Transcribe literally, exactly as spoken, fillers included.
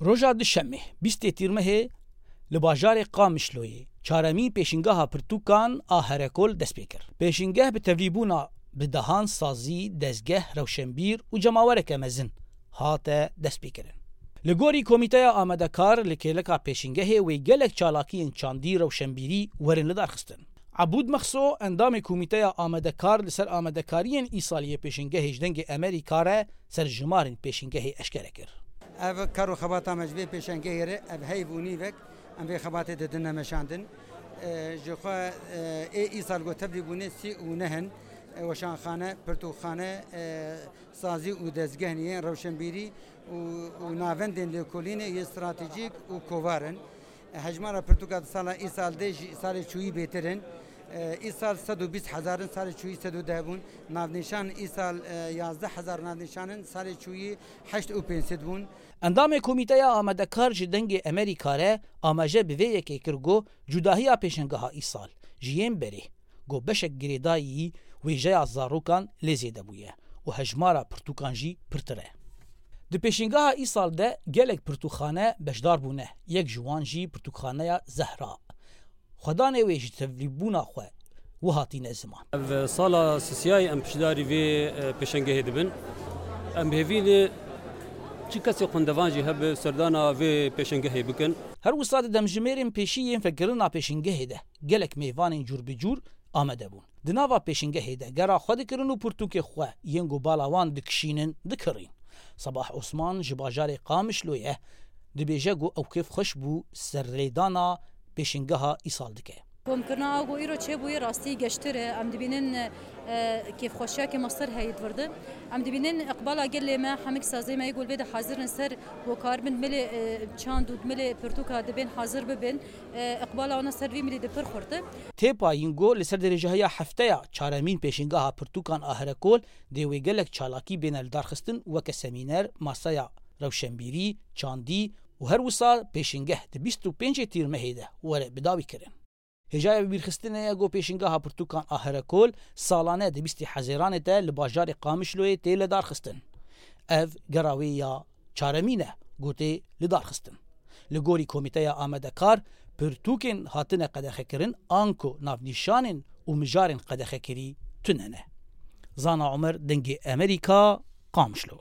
Roja Duşemê, bîstê Tîrmehê, li bajarê Qamişloyê çaremîn pêşîngeha pirtûkan a Herekol dest pê kir. Pêşîngeh bi tevlîbûna bi dehan sazî, dezgeh, rewşenbîr û cemawereke mezin hate destpêkirin. Li gorî Komîteya Amadekar, li kêleka pêşîngehê wê gelek çalakiyên çandî, rewşenbîrî werin lidarxistin. Ebûd Mexso, endamê Komîteya Amadekar, li ser amadekariyên îsaliyê pêşîngehê ji Dengê Emerîka re serjimarên pêşîngehê eşkere kir. Ev kar û xebata me ji vê pêşengehê re, ev heyv û nîvek, em vê xebatê didine meşandin. E, ji xwe, e, ê îsal ku tevlî bûne sî û neh in, e, weşanxane, pirtûkxane, e, sazî û dezgehniyên rewşenbîrî û, û navendên lêkolînê yê stratejîk û kovar in. Hejmara pirtûka di sala îsal de ji salê çûyî bêtir in. Îsal sed û bîst hezar in, salê çûyî sed û deh bûn. Navnîşan îsal, e, yazdeh hezar navnîşan in, salê çûyî heşt û pênc sed bûn. Endamê Komîteya Amadekar ji Dengê Emerîka re amaje bi vê yekê kir ku cudahiya pêşengeha îsal ji yên berê, ku beşek girêdayî wêjeya zarokan lê zêde bûye û hejmara pirtûkan jî pirtir e. Di pêşîngeha îsal de gelek pirtûkxane beşdar bûne, yek ji wan jî pirtûkxaneya Zehra. Xwedanê wê ji tevlîbûna xwe wiha tîne ziman. Ev sala sisiyayê em piştdarî vê, e, pêşengehê dibin. Em bi hêvî ne çi kesê xwendevan jî hebe serdana vê pêşengehê bikin. Her wisa di demjimêrên pêşî yên vekirina pêşengehê de gelek mêvanên cûr bi cûr amade bûn. Di nava pêşengehê de gera xwe dikirin û pirtûkê xwe yên ku bala wan dikişînin, dikirîn. Sabah Osman ji bajarê Qamişlo ye, dibêje ku ew kêfxweş bû serlêdana pêşingeha îsal dike. Komkirina a ku îro çêbûye rastî geştir e. Em dibînin, e, kêfxweşiyakê me ser heye di vir de. Em dibînin iqbala gelê me, hemik sazê me yê ku li vê de hazir in ser ku karibin di milê, e, çand û di milê pirtûka dibên hazir bibin. E, iqbala wana ser vî milî de pir xurt e. Tê payîn ku li ser dirêjahiya hefteya çaremîn pêşingeha pirtûkan a Herekol dê wê gelek çalakî bêne lidarxistin, weke semîner, masaya rewşenbîrî, çandî û her wisa pêşingeh di bîst û pêncê Tîrmehê de were bidawîkirin. Hêjaya bibîrxistinê ye ku pêşingeha pirtûkan a Herekol salane di bîstê Hezêranê de li bajarê Qamişloyê tê lidarxistin. Ev gera wê ya çaremîn e ku tê lidarxistin. Li gorî Komîteya Amadekar, pirtûkên hatine qedexekirin anku navnîşanên û mijarên qedexekirî tune ne. Zana Omer, Dengê Emerîka, Qamişlo.